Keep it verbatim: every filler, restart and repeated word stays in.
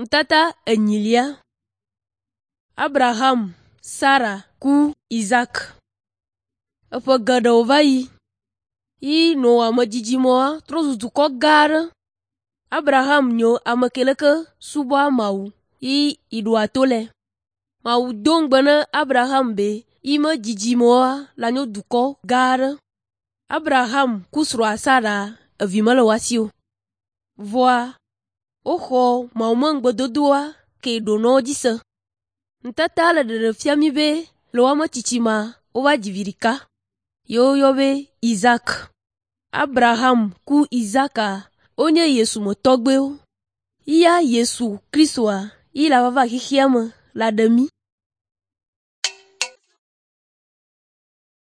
Nutata enyilia. Abraham, Sara ku Isak. Eƒe geɖewo va yi yi Noa medzidzimea trɔ zu dukɔ gã aɖe. Abraham nyo ame ke leke subɔa Mawu yi yiɖoa to le. Mawu do ŋugbe na Abraham be yi me dzidzimewoa le anyo dukɔ gã aɖe. Abraham ku srɔ̃a Sara evi mele woa si o. Vɔa woxɔ Mawu me ŋugbedodoa ke ɖo na wo dzi se. Nutata le ɖeɖe fia mí be le woame tsitsimea wova dzi vi ɖeka ye woyɔ be Isak. Abraham ku Isaka wonye Yesu me tɔgbuiwo. Eya Yesu Kristoa yi la va va xexea me la ɖe mí.